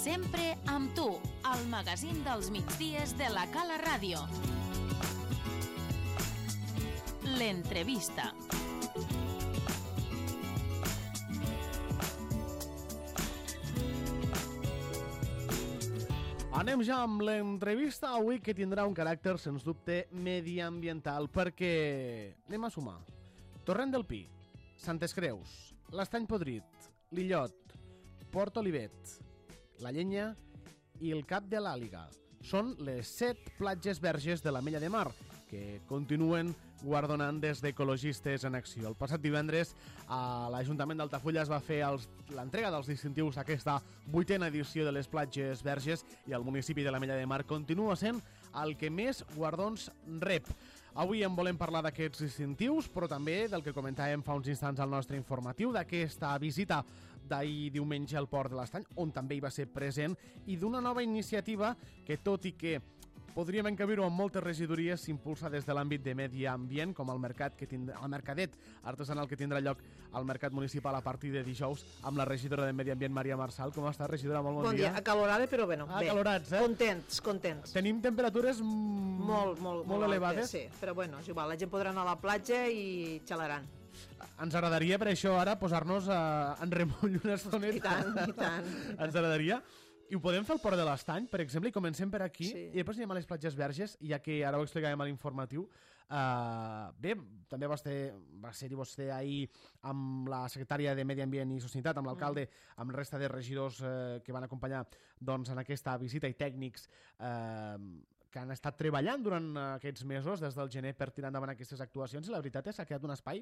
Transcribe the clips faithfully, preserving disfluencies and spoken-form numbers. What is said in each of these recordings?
Sempre amb tu, al magazín dels migdies de la Cala Ràdio. L'entrevista. Anem ja amb l'entrevista avui, que tindrà un caràcter, sens dubte, mediambiental, perquè anem a sumar Torrent del Pi, Santes Creus, l'Estany Podrit, l'Illot, Port Olivet, la Llenya i el Cap de l'Àliga. Són les set platges verges de l'Ametlla de Mar, que continuen guardonant des d'Ecologistes en Acció. El passat divendres a l'Ajuntament d'Altafulla es va fer els, l'entrega dels distintius a aquesta vuitena edició de les platges verges, i el municipi de l'Ametlla de Mar continua sent el que més guardons rep. Avui en volem parlar d'aquests distintius, però també del que comentàvem fa uns instants al nostre informatiu, d'aquesta visita d'ahir diumenge al Port de l'Estany, on també hi va ser present, i d'una nova iniciativa que, tot i que podríem encabir-ho amb moltes regidories, s'impulsa des de l'àmbit de medi ambient, com el mercat que tindrà, el mercadet artesanal que tindrà lloc al mercat municipal a partir de dijous, amb la regidora de Medi Ambient, Maria Marçal. Com està, regidora? Molt bon, bon dia. Bon dia, acalorada, però bueno, ah, bé. Acalorats, eh? Contents, contents. Tenim temperatures mm, molt, molt, molt, molt elevades. Altes, sí, però bueno, és igual, la gent podrà anar a la platja i xalaran. Ens agradaria, per això, ara posar-nos a, en remull una estoneta. I tant, i tant. Ens agradaria. I ho podem fer al Port de l'Estany, per exemple, i comencem per aquí, sí. I després anem a les platges verges, ja que ara ho explicàvem a l'informatiu. Uh, bé, també va ser, va ser-hi vostè ahir amb la secretària de Medi Ambient i Sostenibilitat, amb l'alcalde, mm. amb la resta de regidors uh, que van acompanyar doncs, en aquesta visita, i tècnics uh, que han estat treballant durant aquests mesos, des del gener, per tirar endavant aquestes actuacions, i la veritat és que ha quedat un espai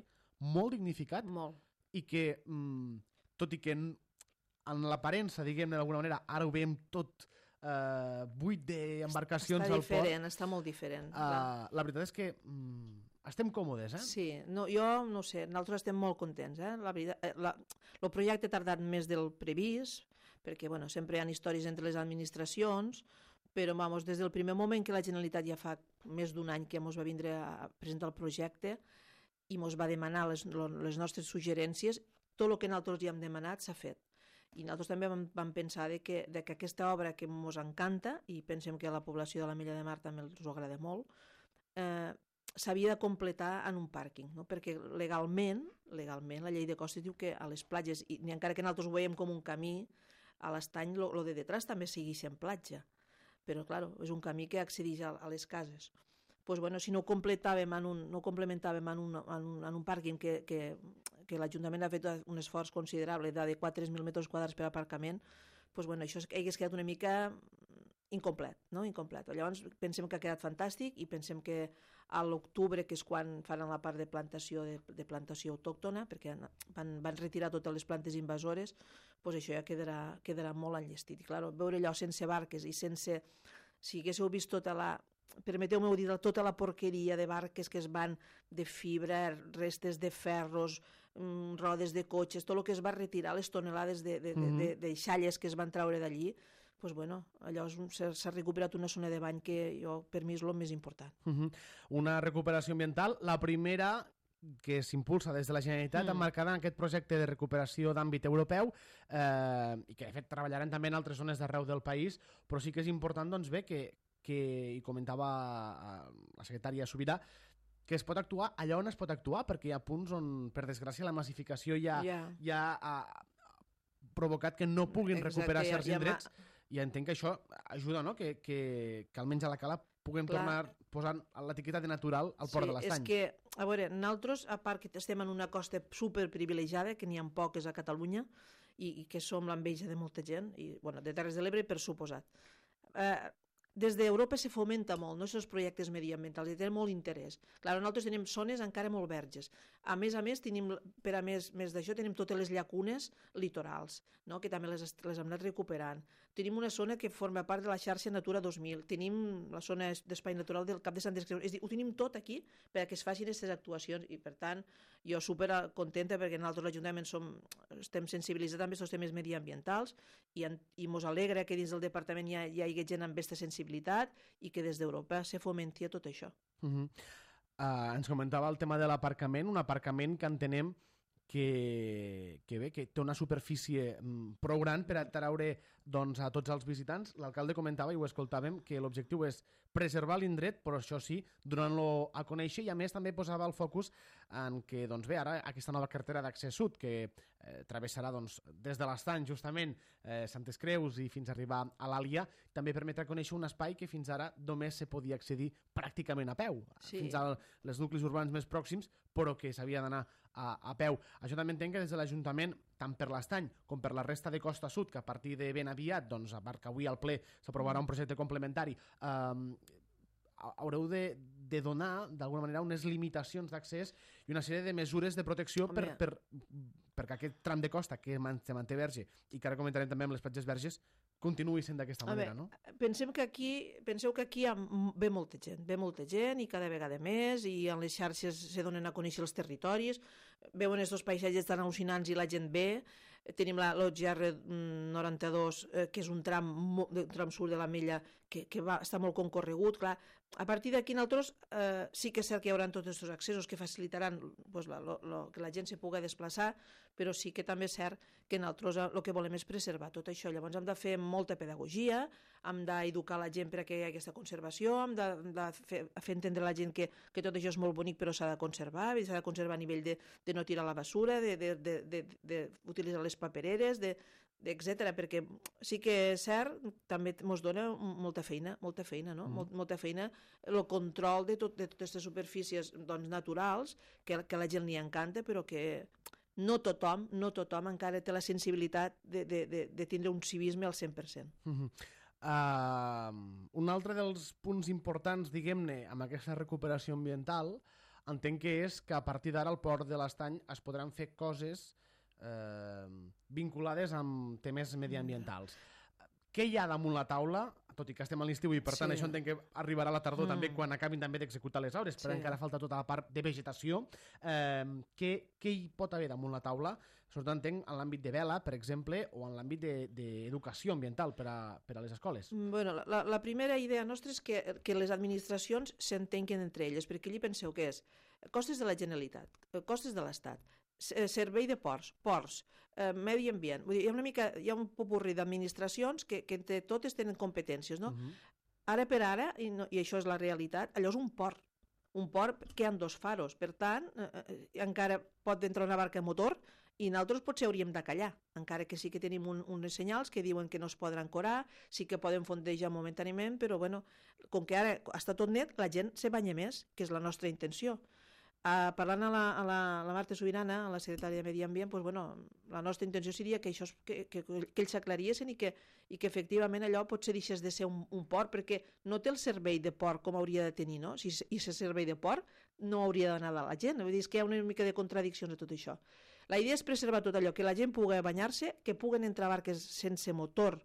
molt dignificat, molt. I que, mm, tot i que en l'aparença, diguem-ne d'alguna manera, ara ho veiem tot eh, buit d'embarcacions al port. Està diferent, està molt diferent. Uh, la veritat és que mm, estem còmodes, eh? Sí, no, jo no sé, nosaltres estem molt contents, eh? La veritat, eh, la, el projecte ha tardat més del previst, perquè bueno, sempre hi ha històries entre les administracions, però vamos, des del primer moment que la Generalitat, ja fa més d'un any que ens va vindre a presentar el projecte i ens va demanar les, les nostres suggerències, tot el que nosaltres ja hem demanat s'ha fet. I nosaltres també vam, vam pensar de que, de que aquesta obra que ens encanta, i pensem que a la població de l'Ametlla de Mar també els agrada molt, eh, s'havia de completar en un pàrquing, no? Perquè legalment, legalment la llei de costes diu que a les platges, i encara que nosaltres ho veiem com un camí, a l'Estany el de detrás també sigui sent platja, però clar, és un camí que accedeix a, a les cases. Pues bueno, si no completàvem en un, no complementàvem en un, en un, en un pàrquing que, que, que l'Ajuntament ha fet un esforç considerable d'adequar tres mil metres quadrats per aparcament, pues bueno, això hagués quedat una mica incomplet, no? Incomplet. Llavors pensem que ha quedat fantàstic, i pensem que a l'octubre, que és quan faran la part de plantació de, de plantació autòctona, perquè van, van retirar totes les plantes invasores, pues això ja quedarà, quedarà molt enllestit. I clar, veure allò sense barques i sense... Si haguéssiu vist tota la... permeteu-me dir, tota la porqueria de barques que es van, de fibra, restes de ferros, mmm, rodes de cotxes, tot el que es va retirar, les tonelades de, de, mm-hmm. de, de, de xalles que es van treure d'allí, pues bueno, allò s'ha recuperat una zona de bany que jo, per mi és el més important. Mm-hmm. Una recuperació ambiental, la primera que s'impulsa des de la Generalitat, mm. emmarcada en aquest projecte de recuperació d'àmbit europeu, eh, i que de fet treballarem també en altres zones d'arreu del país, però sí que és important, doncs bé, que que hi comentava la secretària Subirà, que es pot actuar allà on es pot actuar, perquè hi ha punts on, per desgràcia, la massificació ja, yeah. ja ha provocat que no puguin Exacte, recuperar certs ja, indrets, ja i entenc que això ajuda, no? que, que, que almenys a la Cala puguem Clar. tornar posant l'etiqueta de natural al Port sí, de l'Estany. És que, a veure, nosaltres, a part que estem en una costa superprivilegiada, que n'hi ha poques a Catalunya, i, i que som l'enveja de molta gent, i bueno, de Terres de l'Ebre, per suposat. Eh, Des d'Europa se fomenta molt, no?, aquests projectes mediambientals, i tenen molt interès. Clar, nosaltres tenim zones encara molt verges. A més a més, tenim, per a més, més d'això, tenim totes les llacunes litorals, no?, que també les, les hem anat recuperant. Tenim una zona que forma part de la xarxa Natura dos mil, tenim la zona d'espai natural del Cap de Santes Creus, és a dir, ho tenim tot aquí per a que es facin aquestes actuacions, i per tant, jo super contenta perquè nosaltres l'Ajuntament som, estem sensibilitzats també als temes mediambientals, i, en, i mos alegra que dins del departament hi, ha, hi hagi gent amb aquesta sensibilitat i que des d'Europa se fomenti tot això. Uh-huh. Uh, ens comentava el tema de l'aparcament, un aparcament que entenem que, que bé, que té una superfície mm, prou gran per atraure doncs, a tots els visitants. L'alcalde comentava, i ho escoltàvem, que l'objectiu és preservar l'indret, però això sí, donant-lo a conèixer, i a més també posava el focus en que, doncs bé, ara aquesta nova carretera d'accés sud, que eh, travessarà doncs, des de l'Estany, justament, eh, Santes Creus i fins a arribar a l'Àlia, també permetrà conèixer un espai que fins ara només se podia accedir pràcticament a peu, sí. fins als nuclis urbans més pròxims, però que s'havia d'anar a, a peu. Això també entenc que des de l'Ajuntament, tant per l'Estany com per la resta de Costa Sud, que a partir de ben aviat, doncs, a part que avui al ple s'aprovarà un projecte complementari, eh, haureu de, de donar, d'alguna manera, unes limitacions d'accés i una sèrie de mesures de protecció per, per, perquè aquest tram de costa que se manté verge, i que ara comentarem també amb les platges verges, continuï sent d'aquesta manera, no? Pensem que aquí, penseu que aquí ve molta gent, ve molta gent i cada vegada més, i en les xarxes se donen a conèixer els territoris, veuen aquests paisatges tan al·lucinants i la gent ve. Tenim l'O G R noranta-dos, eh, que és un tram, un tram sud de la Mella que, que va, està molt concorregut. Clar, a partir d'aquí nosaltres eh, sí que és cert que hi haurà tots aquests accessos que facilitaran pues, la, lo, lo, que la gent se pugui desplaçar, però sí que també és cert que nosaltres el que volem és preservar tot això. Llavors hem de fer molta pedagogia, hem d'educar la gent per a que hi hagi aquesta conservació, hem de, de fer, fer entendre a la gent que, que tot això és molt bonic però s'ha de conservar, s'ha de conservar a nivell de, de no tirar la basura, d'utilitzar les papereres, de, etcètera, perquè sí que és cert, també ens dona molta feina, molta feina, no? Mm. Molta feina, el control de, tot, de totes aquestes superfícies doncs, naturals, que, que a la gent li encanta, però que no tothom, no tothom encara té la sensibilitat de, de, de, de tindre un civisme al cent per cent. Mm-hmm. Uh, un altre dels punts importants, diguem-ne, amb aquesta recuperació ambiental, entenc que és que a partir d'ara al Port de l'Estany es podran fer coses eh, vinculades amb temes mediambientals. Què hi ha damunt la taula, tot i que estem a l'estiu i per tant sí. això entenc que arribarà a la tardor mm. també quan acabin també d'executar les obres, però sí. encara falta tota la part de vegetació. Eh, què, què hi pot haver damunt la taula? Sobretot entenc en l'àmbit de vela, per exemple, o en l'àmbit d'educació ambiental per a, per a les escoles. Bueno, la, la primera idea nostra és que, que les administracions s'entenquen entre elles, perquè allí penseu que és costes de la Generalitat, costes de l'Estat, servei de ports, ports, eh, medi ambient. Vull dir, hi ha una mica, hi ha un popurri d'administracions que, que entre totes tenen competències, no? Uh-huh. Ara per ara, i, no, i això és la realitat, allò és un port. Un port que hi ha dos faros. Per tant, eh, encara pot entrar una barca a motor i nosaltres potser hauríem de callar, encara que sí que tenim un, uns senyals que diuen que no es podran ancorar, sí que poden fondejar momentàniament, però bueno, com que ara està tot net, la gent se banya més, que és la nostra intenció. Uh, parlant a la, a, la, a la Marta Sobirana, a la secretària de Medi Ambient, pues, bueno, la nostra intenció seria que, això, que, que, que ells s'aclariessin i que, i que efectivament allò potser deixés de ser un, un port, perquè no té el servei de port com hauria de tenir, no? Si i aquest servei de port no hauria d'anar a la gent. Vull dir, és que hi ha una mica de contradiccions de tot això. La idea és preservar tot allò, que la gent pugui banyar-se, que puguen entrar barques sense motor,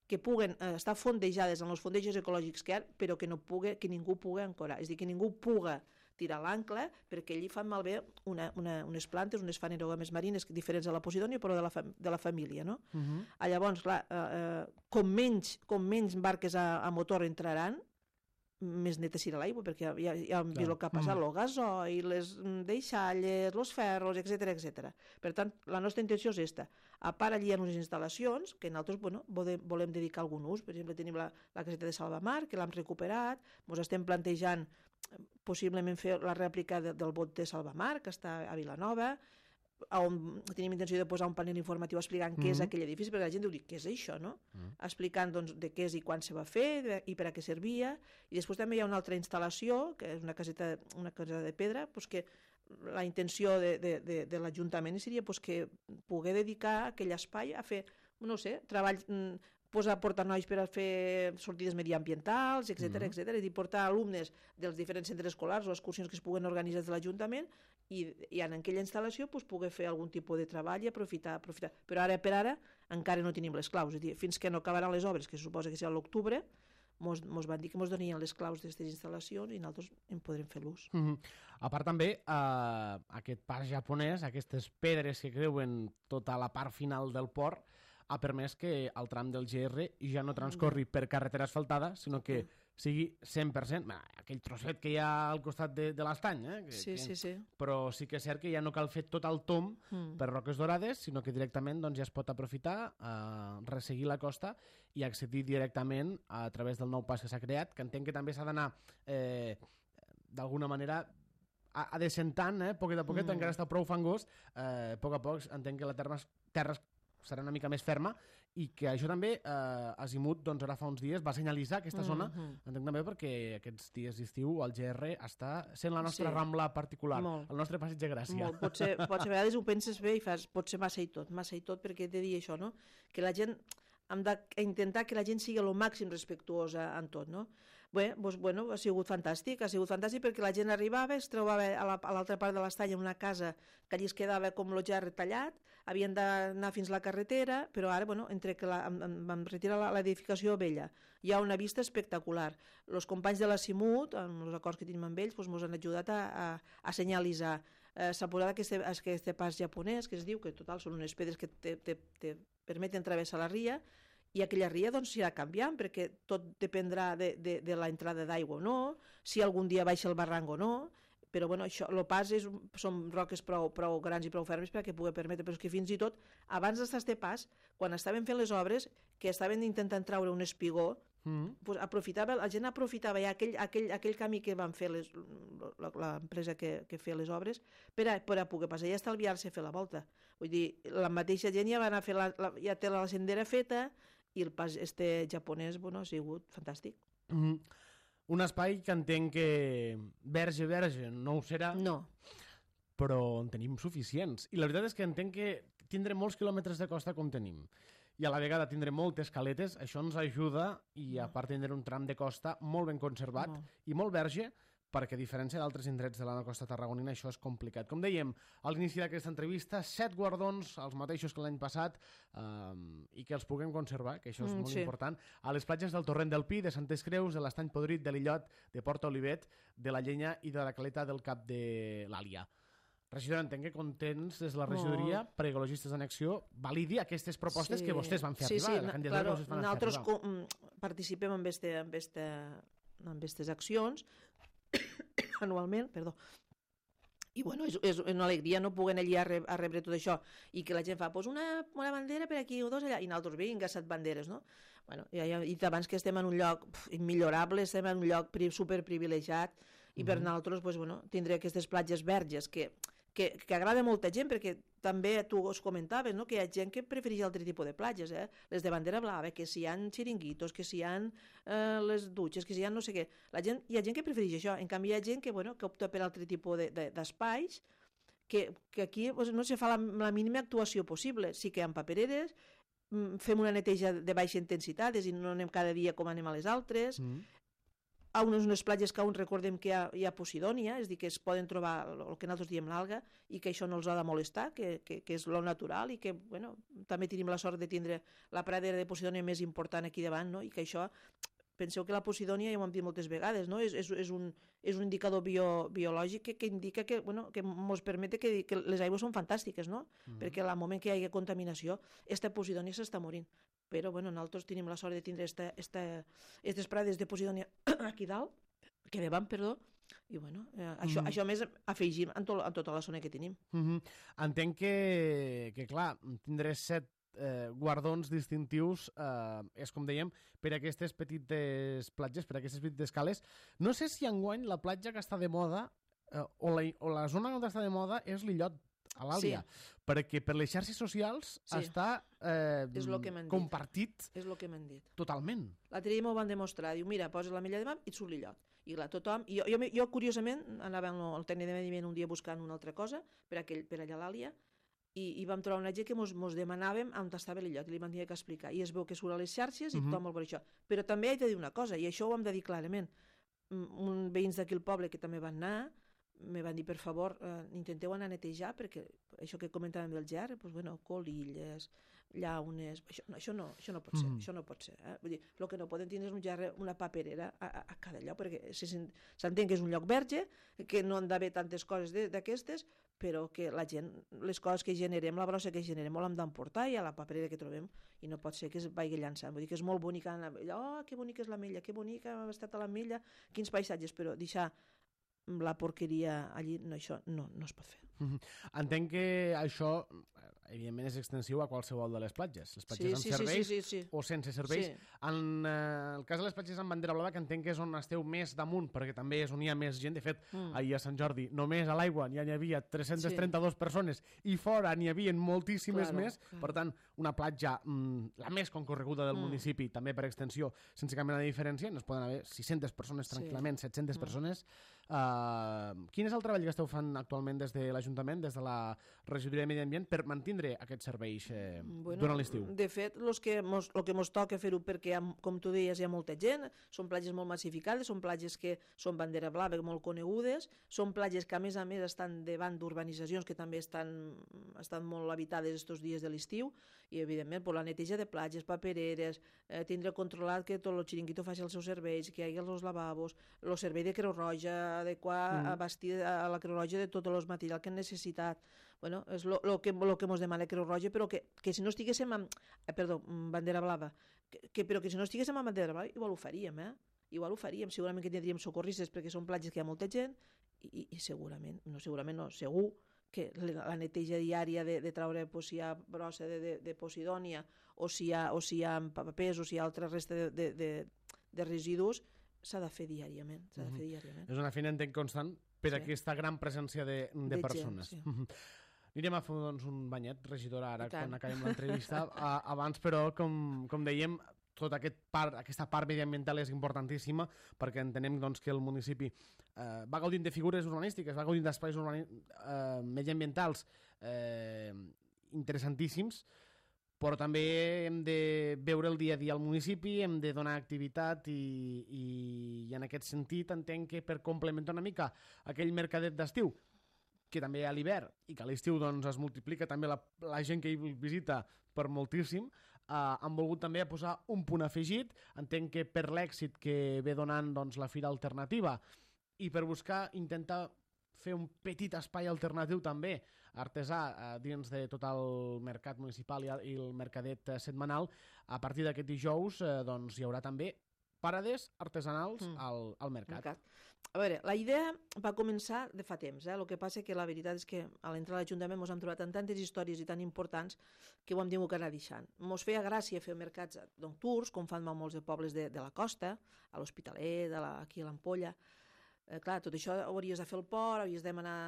que puguen eh, estar fondejades en els fondejos ecològics que hi ha, però que, no pugui, que ningú pugui ancorar. És a dir, que ningú pugui tirar l'ancle, perquè allí fan malbé una, una, unes plantes, unes fanerogames marines diferents a la Posidònia, però de la, fam de la família, no? Uh-huh. Ah, llavors, clar, eh, com, menys, com menys barques a, a motor entraran, més neta serà l'aigua, perquè ja, ja, ja hem vist el que ha passat, uh-huh. el gasoil, les deixalles, els ferros, etcètera, etcètera. Per tant, la nostra intenció és aquesta. A part, allí hi ha unes instal·lacions que nosaltres bueno, volem, volem dedicar algun ús. Per exemple, tenim la, la caseta de Salvamar, que l'hem recuperat, ens estem plantejant possiblement fer la rèplica de, del bot de Salvamar, que està a Vilanova, on tenim intenció de posar un panel informatiu explicant mm-hmm. què és aquell edifici, perquè la gent diu, què és això, no? Mm-hmm. Explicant doncs, de què és i quan se va fer de, i per a què servia. I després també hi ha una altra instal·lació, que és una caseta, una caseta de pedra, doncs que la intenció de, de, de, de l'Ajuntament seria doncs, que poder dedicar aquell espai a fer, no sé, treball... posar portar nois per a fer sortides mediambientals, etcètera, mm-hmm. etcètera, és a dir, portar alumnes dels diferents centres escolars o excursions que es puguen organitzar des de l'Ajuntament i, i en aquella instal·lació pues, poder fer algun tipus de treball i aprofitar, aprofitar. Però ara per ara encara no tenim les claus, és a dir, fins que no acabaran les obres, que se suposa que serà a l'octubre, mos, mos van dir que mos donien les claus d'aquestes instal·lacions i nosaltres en podrem fer l'ús. Mm-hmm. A part també, eh, aquest pas japonès, aquestes pedres que creuen tota la part final del port, ha permès que el tram del G R ja no transcorri per carretera asfaltada, sinó que sigui cent per cent, bah, aquell trosset que hi ha al costat de, de l'estany, eh? Que, Sí, que, sí, sí. però sí que és cert que ja no cal fer tot el tom Mm. per Roques Dorades, sinó que directament doncs, ja es pot aprofitar, eh, resseguir la costa i accedir directament a través del nou pas que s'ha creat, que entenc que també s'ha d'anar eh, d'alguna manera a, a descentant, eh, poquet a poquet, Mm. encara està prou fangós, eh, a poc a poc entenc que la terra, terra serà una mica més ferma i que això també, eh, Azimut, doncs ara fa uns dies va senyalitzar aquesta zona, Mm-hmm. entenc també perquè aquests dies d'estiu el G R està sent la nostra Sí. rambla particular, Molt. el nostre passeig de Gràcia. Molt. Potser, potser a vegades ho penses bé i fas, pot ser massa i tot, massa i tot, perquè he de dir això, no? Que la gent, hem d'intentar que la gent sigui el màxim respectuosa en tot, no? Bé, doncs, bueno, ha sigut fantàstic, ha sigut fantàstic perquè la gent arribava, es trobava a la- a l'altra part de l'estany en una casa que allí es quedava com el ja retallat, havien d'anar fins a la carretera, però ara, bueno, entre que la, em, em, vam retirar la- l'edificació vella, hi ha una vista espectacular. Els companys de la Simut, amb els acords que tenim amb ells, doncs, ens han ajudat a, a, a senyalitzar. Eh, S'ha posat aquest, aquest pas japonès, que es diu, que total són unes pedres que te, te, te permeten travessar la ria, i aquella ria doncs s'irà canviant, perquè tot dependrà de, de, de l'entrada d'aigua o no, si algun dia baixa el barranc o no, però bueno, això, el pas és, són roques prou, prou grans i prou fermes perquè pugui permetre, però és que fins i tot abans d'estar este pas, quan estaven fent les obres, que estaven intentant treure un espigó, Mm. pues aprofitava, la gent aprofitava ja aquell, aquell, aquell camí que van fer les- la- l'empresa que, que feia les obres per a, per a poder passar i estalviar-se fer la volta. Vull dir, la mateixa gent ja va anar a fer la, la, ja té la sendera feta i el pas este japonès, bueno, ha sigut fantàstic. Mm. Un espai que entenc que verge, verge, no ho serà, No, però en tenim suficients. I la veritat és que entenc que tindrem molts quilòmetres de costa com tenim. I a la vegada tindrem moltes caletes, això ens ajuda, i a part tindrem un tram de costa molt ben conservat Molt. i molt verge, perquè a diferència d'altres indrets de la costa tarragonina això és complicat. Com dèiem, a l'inici d'aquesta entrevista, set guardons, els mateixos que l'any passat, um, i que els puguem conservar, que això és Mm, molt sí. important, a les platges del Torrent del Pi, de Santes Creus, de l'Estany Podrit, de l'Illot, de Porta Olivet, de la Llenya i de la caleta del Cap de l'Àlia. Regidora, entenc que contents des de la regidoria, per Ecologistes en Acció, validi aquestes propostes Sí. que vostès van fer sí, arribar. Sí, la na- candidatura claro, que vostès van fer nosaltres arribar. co- mm, participem en este, en este, en aquestes accions anualment, perdó. I bueno, és, és una alegria no poder allí a, re, a rebre tot això i que la gent fa pues, una, una bandera per aquí o dos allà i nosaltres vinga, set banderes, no? Bueno, ja, ja he dit abans que estem en un lloc pf, immillorable, estem en un lloc pri, superprivilegiat i per Mhm. nosaltres pues, bueno, tindré aquestes platges verges que, que, que agrada a molta gent perquè també tu us comentaves no? que hi ha gent que prefereix altre tipus de platges, eh? Les de bandera blava, que si hi ha xiringuitos, que si hi ha eh, les dutxes, que si hi ha no sé què. La gent, hi ha gent que prefereix això, en canvi hi ha gent que, bueno, que opta per altre tipus de, de, d'espais que, que aquí pues, no se fa la, la mínima actuació possible. Sí que hi ha papereres, mm, fem una neteja de baixa intensitat, és a dir, no anem cada dia com anem a les altres, Mm. a unes, unes platges que on recordem que hi ha, hi ha posidònia, és a dir, que es poden trobar el que nosaltres diem l'alga i que això no els ha de molestar, que, que, que és lo natural i que bueno, també tenim la sort de tindre la pradera de posidònia més important aquí davant, no? I que això, penseu que la posidònia, ja ho hem dit moltes vegades, no? és, és, és, un, és un indicador bio, biològic que, que indica que, bueno, que ens permet que, que les aigües són fantàstiques, no? Mm. Perquè al moment que hi hagi contaminació, aquesta posidònia s'està morint. Però bueno, nosaltres tenim la sort de tindre esta, esta, aquestes prades de posidònia aquí dalt, que davant, perdó, i bueno, eh, això, Mm. això més afegim en, to, en tota la zona que tenim. Mm -hmm. Entenc que, que, clar, tindré set eh, guardons distintius, eh, és com dèiem, per aquestes petites platges, per aquestes petites cales. No sé si enguany la platja que està de moda, eh, o, la, o la zona on està de moda és l'Illot, a l'Àlia, Sí. perquè per les xarxes socials Sí. està eh, És lo que m'han dit. compartit És el que m'han dit. totalment. L'altre dia m'ho van demostrar. Diu, mira, poses la milla de mar i et surt l'illot. I clar, tothom... I jo, jo, jo, curiosament, anava al tècnic de medi ambient un dia buscant una altra cosa per, aquell, per allà a l'Àlia i, i vam trobar una gent que mos, mos demanàvem on estava l'illot i li vam tenir que explicar. I es veu que surt a les xarxes i Mhm. tothom vol veure això. Però també he de dir una cosa, i això ho hem de dir clarament. Mm, Un veïns d'aquí al poble que també van anar me van dir, per favor, eh, intenteu anar a netejar, perquè això que comentàvem del ger, doncs, bueno, colilles, llaunes, això, no, això, no, això no pot ser, mm. això no pot ser. Eh? Vull dir, el que no poden tenir és un ger, una paperera a, a, a cada lloc, perquè si s'entén que és un lloc verge, que no han d'haver tantes coses d'aquestes, però que la gent, les coses que generem, la brossa que generem, l'hem d'emportar i a la paperera que trobem, i no pot ser que es vagi llançant. Vull dir que és molt bonica, oh, que bonica és l'ametlla, que bonica ha estat a l'ametlla, quins paisatges, però deixar la porqueria allí, no, això no, no es pot fer. Mm-hmm. Entenc que això, evidentment, és extensiu a qualsevol de les platges. Les platges sí, amb sí, serveis sí, sí, sí, sí. o sense serveis. Sí. En eh, el cas de les platges amb bandera blava, que entenc que és on esteu més damunt, perquè també és on hi ha més gent. De fet, mm. ahir a Sant Jordi, només a l'aigua ja n'hi havia tres-centes trenta-dues sí. persones i fora n'hi havia moltíssimes claro, més. Claro. Per tant, una platja mm, la més concorreguda del mm. municipi, també per extensió, sense cap mena de diferència, no es poden haver sis-centes persones tranquil·lament, sí. set-centes mm. persones. Uh, quin és el treball que esteu fent actualment des de l'Ajuntament, des de la Regidoria de Medi Ambient, per mantindre aquests serveis eh, bueno, durant l'estiu? De fet, el que mos, lo que ens toca fer-ho, perquè, com tu deies, hi ha molta gent, són platges molt massificades, són platges que són bandera blava, molt conegudes, són platges que, a més a més, estan davant d'urbanitzacions que també estan, estan molt habitades estos dies de l'estiu, i, evidentment, per la neteja de platges, papereres, eh, tindre controlat que tot el xiringuito faci els seus serveis, que hi hagi els lavabos, el servei de Creu Roja, adequar mm. a vestir a la Creu Roja de tot el material que han necessitat. Bueno, és el que, lo que mos demana Creu Roja, però que, que si no estiguéssim amb... Eh, perdó, bandera blava. Que, que, però que si no estiguéssim amb bandera blava, igual ho faríem, eh? Igual ho faríem. Segurament que tindríem socorristes perquè són platges que hi ha molta gent i, i segurament, no segurament no, segur que la neteja diària de, de traure pues, si hi ha brossa de, de, de posidònia o si hi ha, o si hi ha papers o si hi ha altra resta de, de, de, de residus s'ha de fer diàriament, s'ha de fer diàriament. És una feina, entenc, constant per sí. aquesta gran presència de, de, de persones. Gent, sí. Anirem a fer doncs, un banyet, regidora, ara quan acabem l'entrevista. Abans, però, com, com dèiem, tota aquest part, aquesta part mediambiental és importantíssima perquè entenem doncs, que el municipi eh, va gaudint de figures urbanístiques, va gaudint d'espais urbani... eh, mediambientals eh, interessantíssims, però també hem de veure el dia a dia al municipi, hem de donar activitat i, i, i en aquest sentit entenc que per complementar una mica aquell mercadet d'estiu, que també a l'hivern i que a l'estiu doncs, es multiplica també la, la gent que hi visita per moltíssim, eh, han volgut també posar un punt afegit. Entenc que per l'èxit que ve donant doncs, la Fira Alternativa i per buscar intentar fer un petit espai alternatiu també artesà eh, dins de tot el mercat municipal i, i el mercadet eh, setmanal, a partir d'aquest dijous eh, doncs, hi haurà també parades artesanals mm. al, al mercat. mercat. A veure, la idea va començar de fa temps, eh? El que passa que la veritat és que a l'entrar a l'Ajuntament ens hem trobat en tantes històries i tan importants que ho hem tingut que anar deixant. Ens feia gràcia fer mercats nocturns, com fan molts de pobles de, de la costa, a l'Hospitalet, la, aquí a l'Ampolla. Eh, clar, tot això ho hauries de fer al port, hauries de demanar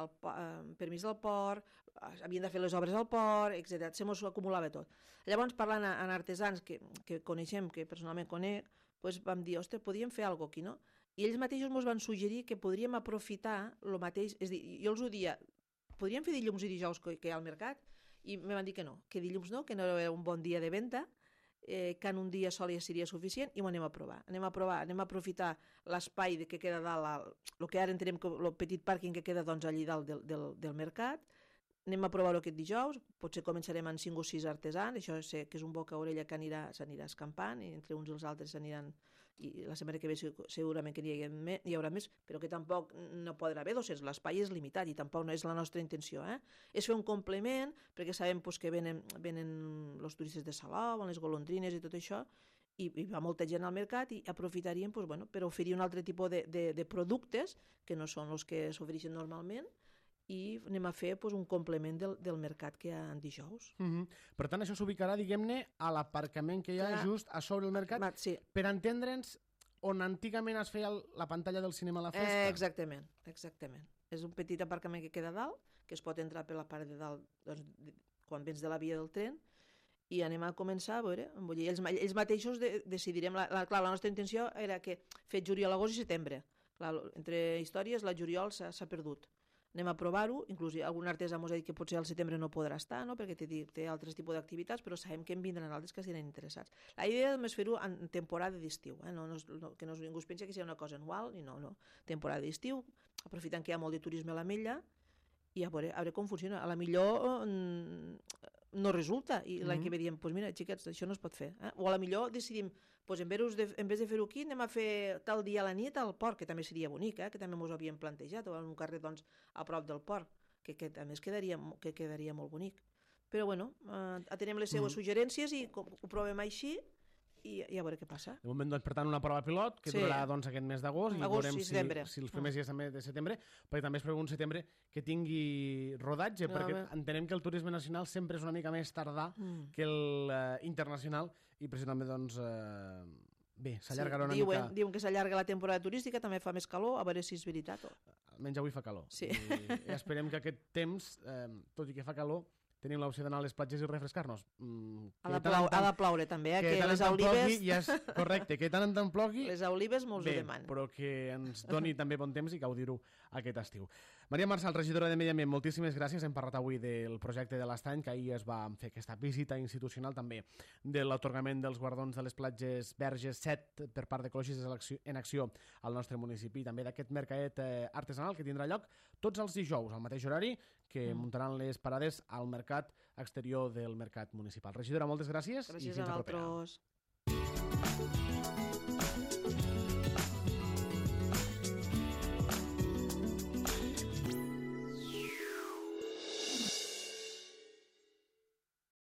el eh, permís del port, havien de fer les obres al port, etcètera. Se mos acumulava tot. Llavors, parlant en artesans que, que coneixem, que personalment conec, doncs vam dir, ostres, podríem fer alguna cosa aquí, no? I ells mateixos ens van suggerir que podríem aprofitar el mateix, és a dir, jo els ho dia, podríem fer dilluns i dijous que hi ha al mercat? I me van dir que no, que dilluns no, que no era un bon dia de venda, eh, que en un dia sol ja seria suficient i ho anem a provar. Anem a provar, anem a aprofitar l'espai que queda dalt, el que ara entenem que el petit pàrquing que queda doncs, allí dalt del, del, del mercat, anem a provar-ho aquest dijous, potser començarem amb cinc o sis artesans, això sé que és un boca a orella que anirà, s'anirà escampant i entre uns i els altres s'aniran, i la setmana que ve segurament que n'hi hi haurà més, però que tampoc no podrà haver dos-cents, l'espai és limitat i tampoc no és la nostra intenció. Eh? És fer un complement, perquè sabem pues, que venen, venen els turistes de Salou, les golondrines i tot això, i, i va molta gent al mercat i aprofitaríem pues, bueno, per oferir un altre tipus de, de, de productes que no són els que s'ofereixen normalment, i anem a fer pues, un complement del, del mercat que hi ha en dijous. Mm-hmm. Per tant, això s'ubicarà, diguem-ne, a l'aparcament que hi ha Clar. just a sobre el mercat, Ma, sí. per entendre'ns on antigament es feia la pantalla del cinema a la festa. Eh, exactament, exactament. És un petit aparcament que queda dalt, que es pot entrar per la part de dalt doncs, de, quan vens de la via del tren, i anem a començar a veure, vull dir, ells, ells mateixos de, decidirem, la, la, clar, la nostra intenció era que fet juliol, agost i setembre. Clar, entre històries, la juliol s'ha perdut. anem a provar-ho, inclús algun artesà ens ha dit que potser al setembre no podrà estar, no? Perquè té, té altres tipus d'activitats, però sabem que en vindran altres que estaran interessats. La idea és fer-ho en temporada d'estiu, eh? no, no, no, que no, ningú es pensi que sigui una cosa anual, i no, no. Temporada d'estiu, aprofitant que hi ha molt de turisme a l'Ametlla, i a veure, a veure com funciona. A la millor no resulta, i l'any mm-hmm. que ve diem, pues mira, xiquets, això no es pot fer. Eh? O a la millor decidim, pues en vez de, en vez de fer-ho aquí, anem a fer tal dia a la nit al port, que també seria bonic, eh? Que també ens ho havíem plantejat, o en un carrer doncs, a prop del port, que, que també es quedaria, que quedaria molt bonic. Però bueno, eh, atenem les seues mm. suggerències i ho provem així, i, i a veure què passa. De moment, doncs, per tant, una prova pilot que sí. durarà doncs, aquest mes d'agost i veurem si, si els primers dies també de setembre, perquè també espero un setembre que tingui rodatge, no, perquè bé. entenem que el turisme nacional sempre és una mica més tardà mm. que el uh, internacional, i precisament doncs, uh, bé, s'allargarà sí, una diuen, mica... Diuen que s'allarga la temporada turística, també fa més calor, a veure si és veritat. O... Almenys avui fa calor. Sí. I, i esperem que aquest temps, eh, tot i que fa calor, tenim l'opció d'anar a les platges i refrescar-nos. Mm, ha, de plau, ha de plaure també, eh? Que, que les olives... Ja és correcte, que tant en tant plogui... Les olives molts ho demanen. Però que ens doni també bon temps i gaudir-ho aquest estiu. Maria Marçal, regidora de Medi Ambient, moltíssimes gràcies. Hem parlat avui del projecte de l'Estany, que ahir es va fer aquesta visita institucional també de l'atorgament dels guardons de les platges Verges set per part d'Ecologistes en Acció al nostre municipi, i també d'aquest mercat eh, artesanal que tindrà lloc tots els dijous, al mateix horari, que mm. muntaran les parades al mercat exterior del mercat municipal. Regidora, moltes gràcies. Gràcies i fins a vosaltres.